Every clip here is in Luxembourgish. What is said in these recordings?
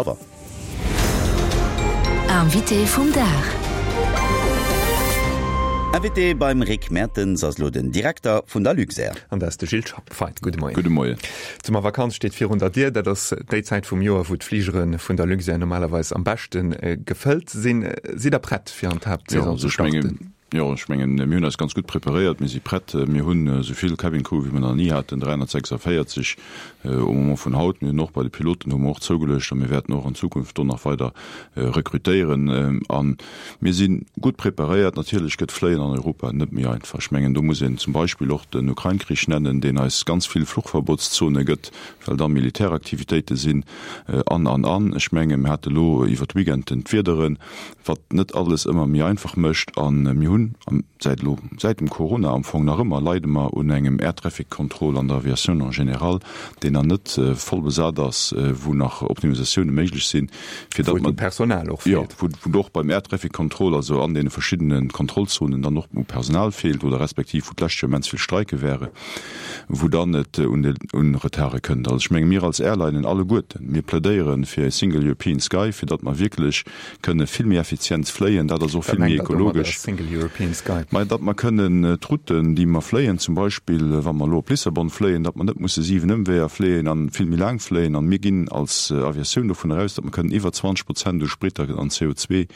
Auer. Invité vum Dag Invité beim Rick Mertens ass elo den Direkter vun der Luxair. An dat ass de Gilles Schapp. Feit, gudde Moien. Gudde Moien. D'Summervakanz steet virun der Dier. Dat ass déi Zäit vum Joer, wou d'Fligere vun der Luxair normalerweis am beschte gefëllt sinn. Sidd Der prett, fir an d'Haaptsaison ze starten? Jo, ech mengen, mir hunn eis ganz gutt preparéiert. Mir si prett. Mir hunn esou vill Cabin Crew, wéi mir nach ni haten, 346 au Moment vun haut. Mir hunn och bei de Piloten hu mer och zougeluecht a mir wäerten och an Zukunft do nach weider rekrutéieren. A mir si gutt preparéiert. Natierlech gëtt Fléien an Europa net méi einfach. Ech mengen, do muss een zum Beispill och den Ukrain-Krich nennen, deen eis ganz vill Fluchverbotszone gëtt, well da Militäraktivitéite sinn an, an, an. Ech mengen, mir hate lo iwwer d'Weekenden d'Wiederen. wat net alles ëmmer méi einfach mécht. A mir hunn säit elo, säit dem Corona am Fong nach ëmmer, leide mer un engem Air Traffic Control an der Aviatioun en général, deen nach net voll besat ass, wou nach Optimisatioune méiglech sinn, fir datt mer. Wou et u Personal och feelt. Jo, wou och beim Air Traffic Control, also an deene verschiddene Kontrollzonen, dann och u Personal feelt oder respektiv wou d'lescht Joer immens vill Streike ware, wou dann et un de un Retarde kënnt. Also ech menge mir als Airlinen alleguerten, mir plädéiere fir e Single European Sky, fir datt mer wierklech kënne vill méi effizient fléien, dat ass och vill méi ekologesch. Mä datt mer kënnen d'Routen, déi mer fléien, zum Beispill wa mer elo op Lissabon fléien, datt mer net musse 7 Ëmweeër fléien an vill méi laang fléien. An mir ginn als Aviatioun dovun eraus, datt mer kënnen iwwer 20 Prozent u Sprit an CO2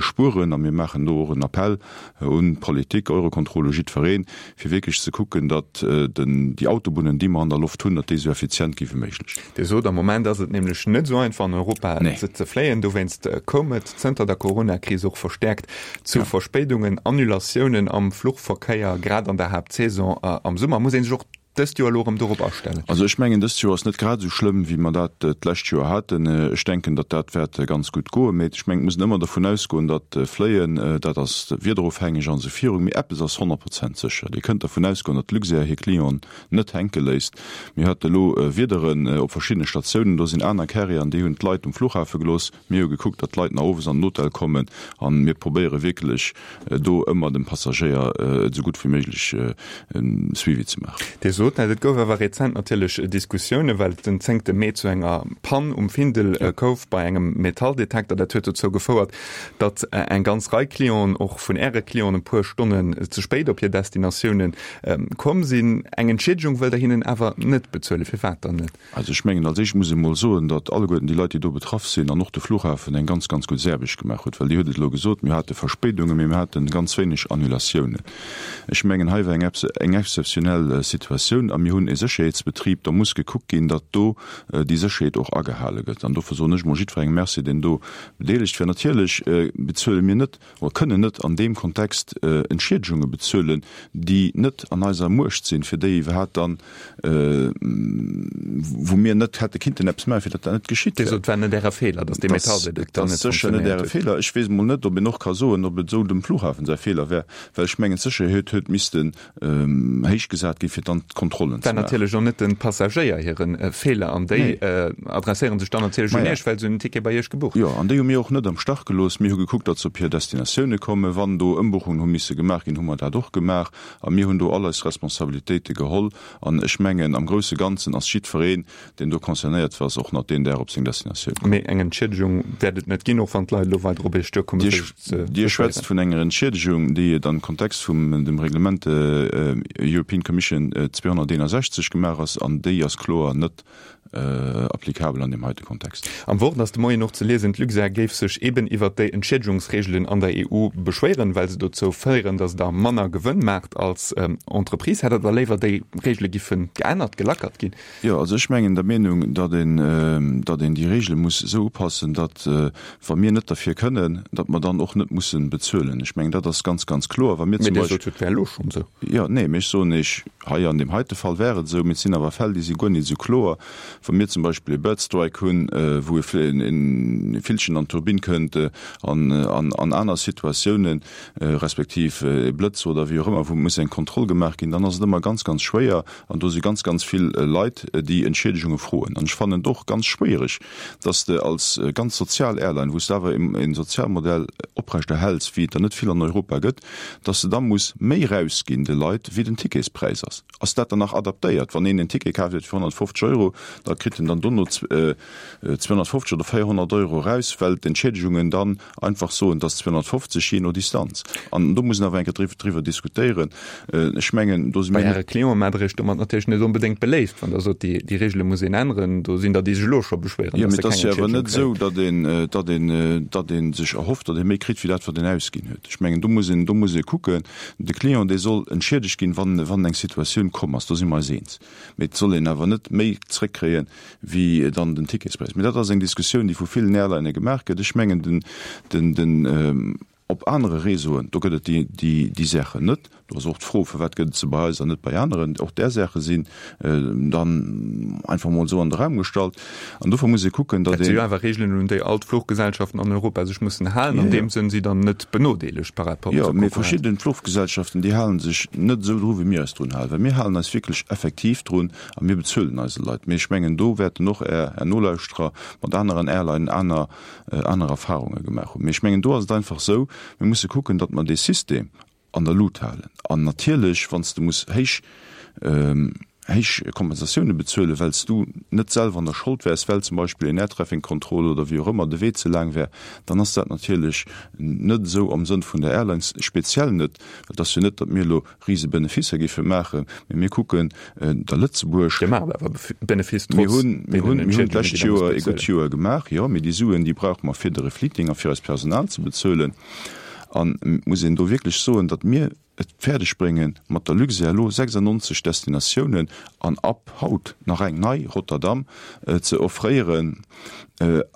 spueren. A mir maachen do och en Appell un d'Politik, Eurocontrol, u jiddwereen, fir wierklech ze kucken, datt déi Autobunnen, déi mer an der Loft hunn, datt déi esou effizient gi wéi méiglech. Dir sot, am Moment ass et nämlech net esou einfach an Europa ze fléien. Dowéinst koum et zënter der Corona-Kris och verstäerkt zu Verspéidungen, Annulatiounen am Fluchverkéier, grad an der Haaptsaison am Summer. Muss ee sech och dëst Joer elo erëm dorop astellen? Also ech mengen, dëst Joer ass net grad esou schlëmm, wéi mer dat d'lescht Joer haten. Ech denken, datt dat wäert ganz gutt goen. Mee ech mengen, et muss een ëmmer dervun ausgoen, datt Fléien, dat ass wiederofhängeg an esou virun. Mee eppes ass 100 Prozent sécher, Dir kënnt dervun ausgoen, datt d'Luxair hir Clienten net hänke léisst. Mir hate elo Wiederen op verschiddene Statiounen, do sinn aner Carrieren, déi hunn d'Leit um Flughafe gelooss. Mir hu gekuckt, datt d'Leit nach owes an den Hotel kommen a mir probéiere wierklech do ëmmer dem Passagéier et esou gutt wéi méiglech e Suivi ze maachen. Dir sot dat, et gouf awer rezent natierlech Diskussiounen, well et den zéngte Mee zu enger Pann um Findel kouw bei engem Metalldetekter. Dat huet dozou gefouert, datt eng ganz Rei Clienten, och vun Äre Clienten, e puer Stonnen ze spéit op hir Destinatioune komm sinn. Eng Entschiedegung wëllt Der hinnen awer net bezuelen. Firwat dann net? Also ech mengen, als éischt muss ee mol soen, datt alleguerten déi Leit, déi do betraff sinn, an och de Flughafen eng ganz, ganz gutt Aarbecht gemaach huet, well Dir hutt et elo gesot, mir hate Verspéidungen, mee mir hate ganz wéineg Annulatiounen. Ech mengen, hei war eng eng exzeptionell Situatioun a mir hunn e Sécherheetsbetrib, da muss gekuckt ginn, datt do déi Sécherheet och agehale gëtt. An dofir soen ech mol jiddwerengem Merci, deen do bedeelegt war. Natierlech bezuele mir net oder kënnen net an deem Kontext Entschiedegunge bezuelen, déi net an eiser Muecht sinn, fir déi iwwerhaapt dann, wou mir net hätte kinnten eppes maachen, fir datt dat net geschitt wär. Dir sot, et war net Äre Feeler, datt dee Metalldetektor net funktionéiert huet. Dat ass sécher net Äre Feeler. Ech weess emol net, ob een och ka soen, ob et esou dem Flughafen säi Feeler wär, well ech mengen, d'Sécherheet huet missten héich gesat ginn, fir dann d'Kontrollen ze maachen. War natierlech och net de Passagéier hire Feeler an déi adresséiere sech dann natierlech un Iech, well se hunn den Ticket bei Iech gebucht. Jo, an déi hu mir och net am Stach gelooss. Mir hu gekuckt, datt se op hir Destinatioune kommen. Wann do Ëmbuchungen hu misse gemaach ginn, hu mer dat och gemaach. A mir hunn do all eis Responsabilitéite geholl. An ech mengen, am grousse Ganzen ass jiddwereen, deen do concernéiert war, ass och nach deen Dag op seng Destinatioun komm. Mee eng Entschiedegung wäert et net ginn, och wann d'Leit elo weider op Iech duerkommen, fir sech ze beschwéieren? Dir schwätzt vun enger Entschiedegung, déi et am Kontext vum dem Reglement European Commission 261 gemaach ass, an déi ass kloer net applicabel an deem heite Kontext. Am Wort ass de Moien och ze liesen, d'Luxair géif sech eben iwwert déi Entschiedigungsreegelen an der EU beschwéieren, well se dozou féieren, datt der manner Gewënn maacht als Entreprise. Hätt Der da léiwer, déi Reegele giffen geännert, gelackert ginn? Jo, also ech mengen der Meenung, datt een, datt een déi Regele muss esou upassen, datt, wa mir net derfir kënnen, datt mer dann och net mussen bezuelen. Ech mengen, dat ass ganz, ganz kloer. Wa mir zum Beispill. Mee Dir sot jo, et wär elo schonn esou. Jo, nee, mee ech soen Iech, hei an deem heite Fall wär et esou, mee et sinn awer Fäll, déi si guer net esou kloer. Wa mir zum Beispill e Bird Strike hunn, wou e Villchen an d'Turbinn kënnt an an aner Situatiounen, respektiv e Blëtz oder wéi och ëmmer, wou muss eng Kontroll gemaach ginn, dann ass et ëmmer ganz, ganz schwéier, An do si ganz, ganz vill Leit, déi Entschiedegunge froen. An ech fannen et och ganz schwéiereg, dass de als ganz sozial Airline, wou s de awer e Sozialmodell oprechterhäls, wéi et der net vill an Europa gëtt, dass de da muss méi erausginn de Leit, wéi den Ticketspräis ass. Ass dat dann nach adaptéiert? Wann een en Ticket kaaft huet fir 150 Euro, da. da kritt en dann dono 250 oder 400 Euro eraus, well d'Entschädegungen dann einfach soen, dass 250 jee no Distanz. An do muss een awer eng Kéier driwwer diskutéieren. Ech mengen, do si mir. Bei Äre Clienten maacht Der Iech domat natierlech net onbedéngt beléift, wann Der sot, déi Regele muss een änneren. Do sinn der, déi sech elo scho beschwéieren, dass se keng Entschiedegung kréien. Jo, mee et ass jo awer net esou, datt een, datt een, datt ee sech erhofft, datt ee méi kritt wéi dat, wat een ausginn huet. Ech mengen, do muss een, do muss ee kucken. De Client, dee soll entschiedegt ginn, wann, wann eng Situatioun komm ass. Do si mer eis eens. Mee et soll een awer net méi zréckkréie wéi dann den Ticketspräis. Mee dat ass eng Diskussioun, déi vu villen Airlinë gemaach gëtt. Ech mengen, den, den, den, op anere Réseauen, do gëtt et déi, déi, déi Saachen net. Do ass och d'Fro, Firwat gëtt et se bei eis an net bei aneren? Och där Saache sinn dann einfach emol esou an de Raum gestallt. An dofir muss ee kucken, datt een. Dat si jo awer Regeln, un déi all d'Fluchgesellschaften an Europa sech mussen halen. An deem Sënn si dann net benodeelegt par rapport zur Konkurrenz. Jo, mee verschidden Fluchgesellschaften, déi hale sech net esou dru wéi mir eis drun halen. Well mir halen eis wierklech effektiv drun a mir bezuelen eise Leit. Mee ech mengen, do wäerten och Är, Är Nolauschterer mat aneren Airlinen aner, aner Erfahrunge gemaach hunn. Mee ech mengen, do ass et einfach esou, mir musse kucken, datt mer dee System an der Lut halen. An natierlech, wann s de muss héich, héich Kompensatioune bezuelen, well s du net selwer an der Schold wäers, well zum Beispill een Air Traffic Control oder wéi och ëmmer de Wee ze laang wär, dann ass dat natierlech net esou am Sënn vun der Airlines, speziell net, well et ass jo net, datt mir elo rise Beneficer géife maachen, mee mir kucken der Lëtzebuerg. Dir maacht awer Benefice trotz deenen Mir hunn, mir hunn d'lescht Joer e gutt Joer gemaach, jo, mee déi Suen, déi brauche mer fir de Refleeting a fir eist Personal ze bezuelen. An et muss een do wierklech soen, datt mir et fäerdeg bréngen, mat der Luxair elo 96 Destinatiounen an ab haut nach eng nei, Rotterdam, ze offréieren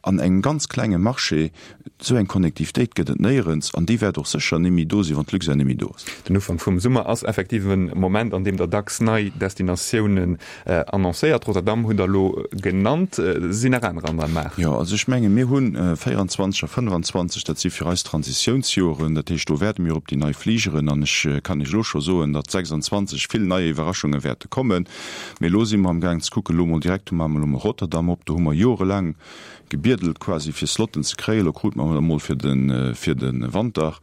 an engem ganz klenge Marché. Esou eng Connectivitéit gëtt et néierens an déi wäert och sécher némmi do sinn, wann d'Luxair némmi do ass. Den Ufank vum Summer ass effektiv e Moment, an deem Der dacks nei Destinatiounen annoncéiert. Rotterdam hutt Der elo genannt. Sinn nach anerer an der Maach? Jo, also ech menge mir hu 24 a 25, dat si fir eis Transitiounsjoren. Dat heescht, do wäerte mir op déi nei Fligeren an ech kann Iech elo scho soen, datt 26 vill nei Iwwerraschunge wäerte kommen. Mee elo si mer amgaang ze kucken, elo mol direkt, do maache mer elo mol Rotterdam op, do hu mer jorelaang gebiedelt quasi fir Slotten ze kréien. Elo krute mer emol fir de fir de Wanter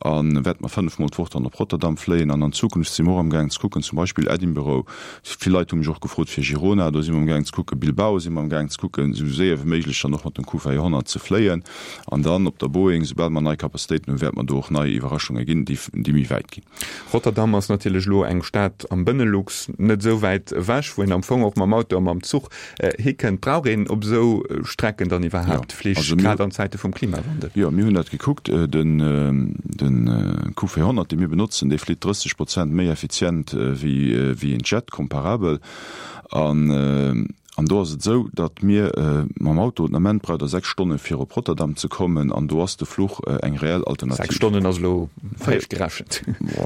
a wäerte mer 5 mol d'Woch dann op Rotterdam fléien. An an Zukunft si mer och amgaangen ze kucken, zum Beispill Edinburgh, vill Leit hu mech och gefrot fir Girona, do si mer amgaangen ze kucken, Bilbao si mer amgaangen ze kucken, esou séier wéi méiglech dann och mat dem Q400 ze fléien. An dann op der Boeing, soubal mer nei Capacitéiten hunn, wäerte mer do och nei Iwwerraschunge ginn, déi déi méi wäit ginn. Rotterdam ass natierlech elo eng Stad am Benelux, net esou wäit ewech, wou een am Fong och mam Auto a mam Zuch hikënnt. Brauch een op esou Strecken dann iwwerhaapt Flich, grad an Zäite vum Klimawandel? Jo, mir hunn dat gekuckt. Den Q400, dee mir benotzen, dee flitt 30 Prozent méi effizient wéi een Jet, comparabel. An do ass et esou, datt mir mam Auto, den Ament braucht Der 6 Stonne fir op Rotterdam ze kommen, an do ass de Fluch eng reell Alternativ. 6 Stonnen ass elo héich gerechent.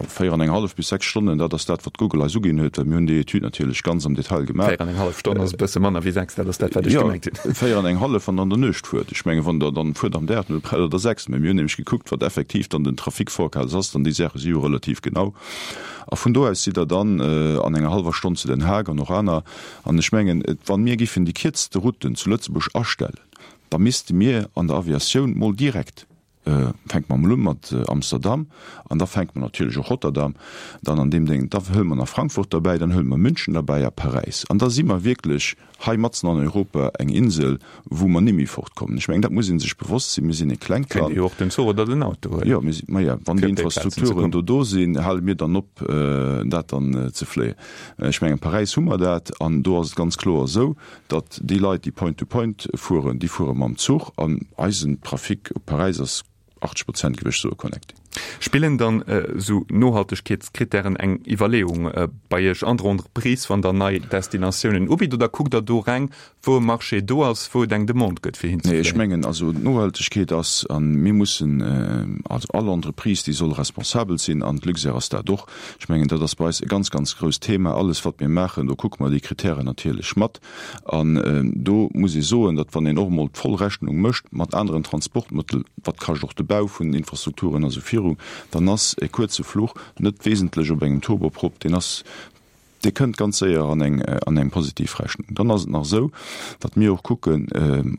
4 an eng hallef bis 6 Stonnen, dat ass dat, wat Google eis uginn huet, well mir hunn déi Etüd natierlech ganz am Detail gemaach. 4 an eng hallef Stonn ass e bësse manner wéi 6, dat ass dat, wat ech gemengt hunn. Jo, 4 an eng hallef, wann Der an der Nuecht fuert. Ech mengen, wann Der dann fuert am Dag, dann braucht Der der 6. Mä mir hunn nämlech gekuckt, wat effektiv dann den Trafic forecast ass, dann déi Saache si jo relativ genau. A vun do aus sidd Der dann an enger hallwer Stonn zu Den Haag an och aner. An ech mengen, wa mir giffen déi kierzte Routen zu Lëtzebuerg astellen, da misste mir an der Aviatioun mol direkt, fänke mer mol u mat Amsterdam an da fänke mer natierlech och Rotterdam dann an deem Déng, da huele mer nach Frankfurt derbäi, dann huele mer München derbäi a Paräis. An da si mer wierklech hei matzen an Europa eng Insel, wou mer nimmi fortkommen. Ech mengen, dat muss ee sech bewosst sinn. Mir sinn e klengt Land. Kéint ee jo och den Zuch oder den Auto huelen. Jo, mir sinn, maja, wann déi Infrastrukturen do do sinn, hale mir dann op, dat dann ze fléien. Ech mengen, Paräis hu mer dat, an do ass et ganz kloer esou, datt déi Leit, déi Point-to-Point fueren, déi fuere mam Zuch, an eisen Trafic op Paräis ass 80 Prozent, géif ech soen, connecté. Spillen dann esou Nohaltegkeetskrittären eng Iwwerleeung bei Iech an der Entreprise, wann Der nei Destinatiounen ubitt, oder kuckt Der do reng, wou e Marché do ass, wou et eng Demande gëtt fir hinzefléien? Nee, ech mengen also d'Nohaltegkeet ass, a mir mussen, also all Entreprise, déi soll responsabel sinn, an d'Luxair ass dat och. Ech mengen, dat ass bei eis e ganz, ganz grousst Thema. Alles wat mir maachen, do kucke mer déi Kritären natierlech mat. An do muss ee soen, datt wann een och emol d'voll Rechnung mécht mat aneren Transportmëttel, wat kascht och de Bau vun Infrastrukturen a sou viru, dann ass e kuerze Fluch net wesentlech op engem Turboprop, deen ass, dee kënnt ganz séier an eng, an eng positiv Rechnung. Dann ass et nach esou, datt mir och kucken,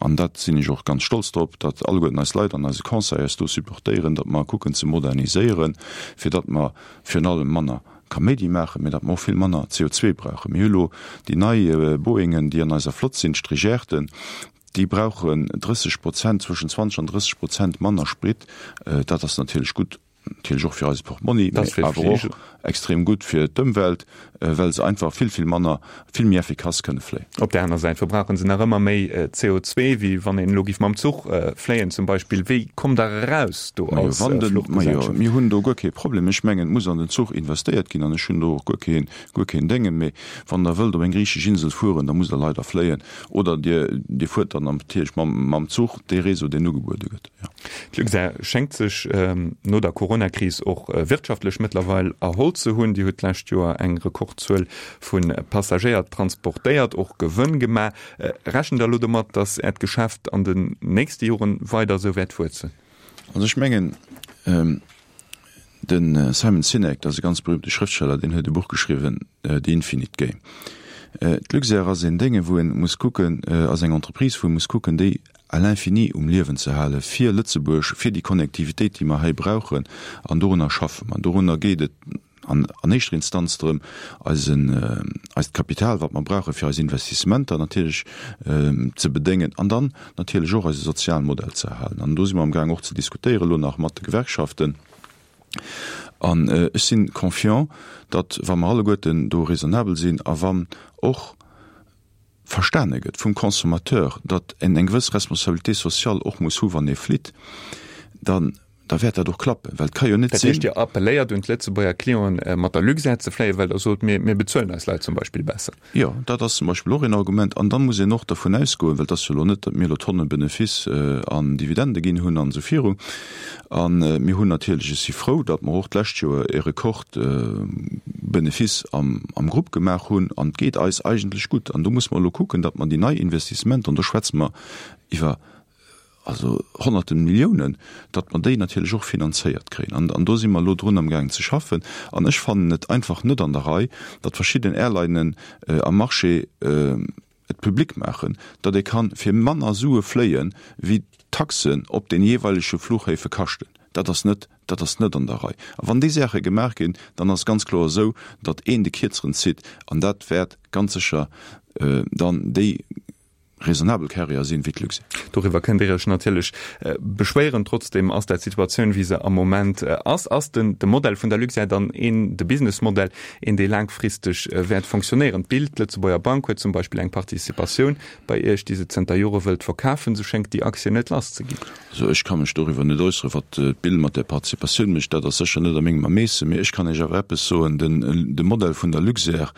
an dat sinn ech och ganz stolz drop, datt alleguerten eis Leit an eise Conseil eis do supportéieren, datt mer kucken ze moderniséieren, fir datt mer virun allem manner. Kaméidi maachen, mä datt mer och vill manner CO2 brauchen. Mir hu lo déi nei Boeingen, déi an eiser Flott sinn, d'Strigerten, déi brauchen 30 Prozent, zwëschen 20 an 30 Prozent manner Sprit. Dat ass natierlech gutt, natierlech och fir eise Portmonni, mä awer och extrem gutt fir d'Ëmwelt, well se einfach vill, vill manner, vill méi effikass kënne fléien. Op där aner Säit verbrauche se nach ëmmer méi CO2, wéi wann een elo géif mam Zuch fléien zum Beispill. Wéi kommt Der eraus do als Fluchgesellschaft? Majo, mir hunn do guer kee Problem. Ech mengen, et muss an den Zuch investéiert ginn an ech hunn do och guer keen, guer keen Déngen. Mee wann Der wëllt op eng griichesch Insel fueren, da musst Der leider fléien oder Dir, Dir fuert dann natierlech mam, mam Zuch, dee Réseau, deen ugebuede gëtt. Jo. D'Luxair schéngt sech no der Coronakris och wirtschaftlech mëttlerweil erholl ze hunn. Dir hutt d'lescht Joer eng Rekordzuel vu Passagéier transportéiert, och Gewënn gemaach. Rechent Der elo domat, datt Äert Geschäft an den nächste Joren weider esou wäert wuessen? Also ech mengen, de Simon Sinek, dat ass e ganz berühmte Schrëftsteller, deen huet e Buch geschriwwen, The Infinite Game. D'Luxair ass een Dénge wou ee muss kucken, ass eng Entreprise wou ee muss kucken, déi à l'infini um Liewen ze hale fir Lëtzebuerg, fir déi Connectivitéit, déi mer hei brauchen. An dorunner schaffe mer. Dorunner geet et an an éischter Instanz drëm, eisen, eist Kapital, wat mer brauche fir eis Investissementer natierlech ze bedéngen an dann natierlech och eise Sozialmodell ze erhalen. An do si mer amgaang och ze diskutéieren elo nach mat de Gewerkschaften. An ech si confiant, datt, wa mer alleguerten do raisonnabel sinn a wann och verstane gëtt vum Consommateur, datt en eng gewëss Responsabilité sociale och muss hu wann ee flitt, dann da wäert dat och klappen, well et ka jo net Dat heescht, sinn. Dir appelléiert un d'Lëtzebuerger Clienten, mat der Luxair ze fléien, well Der sot, mir, mir bezuelen eis Leit zum Beispill besser. Jo, dat ass zum Beispill och een Argument. An da muss een och dervun ausgoen, well et ass jo elo net, datt mir elo Tonne Benefice an Dividende ginn hunn an esou viru. A mir hunn natierlech, ech si frou, datt mer och d'lescht Joer e Rekordbenefice am Grupp gemaach hunn. An et geet eis eigentlech gutt. An do muss mer elo kucken, datt mer déi nei Investissementer, an do schwätze mer iwwer also honnerte Milliounen, datt mer déi natierlech och finanzéiert kréien. An do si mer elo drun amgaangen ze schaffen. An ech fannen et einfach net an der Rei, datt verschidden Airlinen am Marché et public maachen, datt ee kann fir manner Sue fléien, wéi d'Taxen op den jeeweilege Fluchhäfe kaschten. Dat ass net, dat ass net an der Rei. A wann déi Saache gemaach ginn, dann ass ganz kloer esou, datt een de Kierzeren zitt, an dat wäert ganz sécher dann déi raisonnabel Carrier sinn, wéi d'Luxair. Doriwwer kënnt Dir Iech natierlech beschwéieren. Trotzdeem ass dat d'Situatioun, wéi se am Moment ass. Ass den de Modell vun der Luxair dann een, de Businessmodell, een dee laangfristeg wäert fonctionnéieren? D'Bild, d'Lëtzebuerger Bank huet zum Beispill eng Participatioun bei Iech, déi se zënter Jore wëllt verkafen. Se schéngt déi Aktie net lass ze ginn. Also ech ka mech doriwwer net äusseren, wat d'Bild mat där Participatioun mécht. Dat ass sécher net a mengem Ermeessen. Mee ech kann Iech awer eppes soen, Den de Modell vun der Luxair,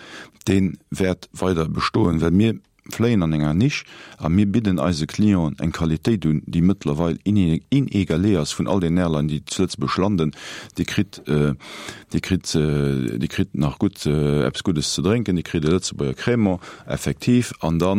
dee wäert weider bestoen, well mir fléien an enger Nisch a mir bidden eise Clienten eng Qualitéit un, déi mëttlerweil inégalée ass vun all den Airlinen, déi zu Lëtzebuerg landen. Dir kritt, Dir kritt, Dir kritt nach gutt eppes Guddes ze drénken, Dir kritt e Lëtzebuerger Crémant, effektiv, an da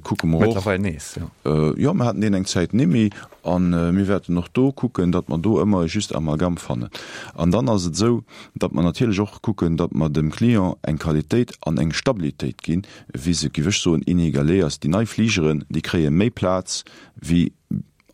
kucke mer och. Mëttlerweil nees, jo. Jo, mer haten deen eng Zäit nimmi a mir wäerten och do kucken, datt mer do ëmmer e juste Amalgame fannen. An dann ass et esou, datt mer natierlech och kucken, datt mer dem Client eng Qualitéit an eng Stabilitéit ginn, wéi se, géif ech soen, inégalé ass. Déi nei Fligeren, déi kréie méi Plaz wéi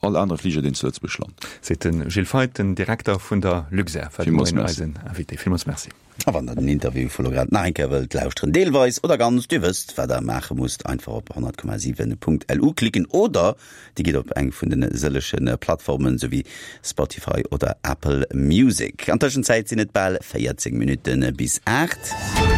all anere Fliger, deen zu Lëtzebuerg lant. Seet de Gilles Feith, den Direkter vun der Luxair, war de Moien eisen Invité. Villmools Merci. A wann der den Interview vu lo grad nach eng Kéier wëllt lauschteren, deelweis oder ganz, dir wësst, wat der maache musst, einfach op 100,7.lu klicken oder dir gitt op eng vun de sëllege Plattformen, sou wéi Spotify oder Apple Music. An Tëschenzäit sinn et bal 14 Minutte bis 8.